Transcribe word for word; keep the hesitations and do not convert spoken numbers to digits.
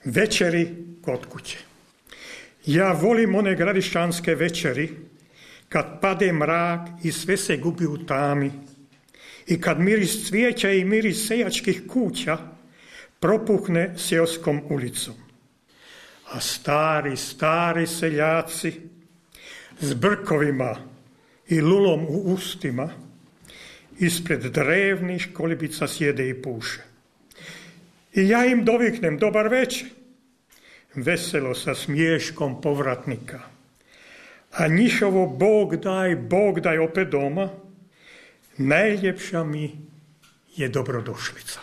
Večeri kod kuće. Ja volim one gradišćanske večeri kad pade mrak i sve se gubi u tami i kad miris cvijeća i miris seljačkih kuća propuhne seoskom ulicom. A stari, stari seljaci s brkovima i lulom u ustima ispred drevnih kolibica sjede i puše. I ja im doviknem dobar večer, veselo sa smiješkom povratnika. A njihovo Bog daj, Bog daj opet doma, najljepša mi je dobrodošlica.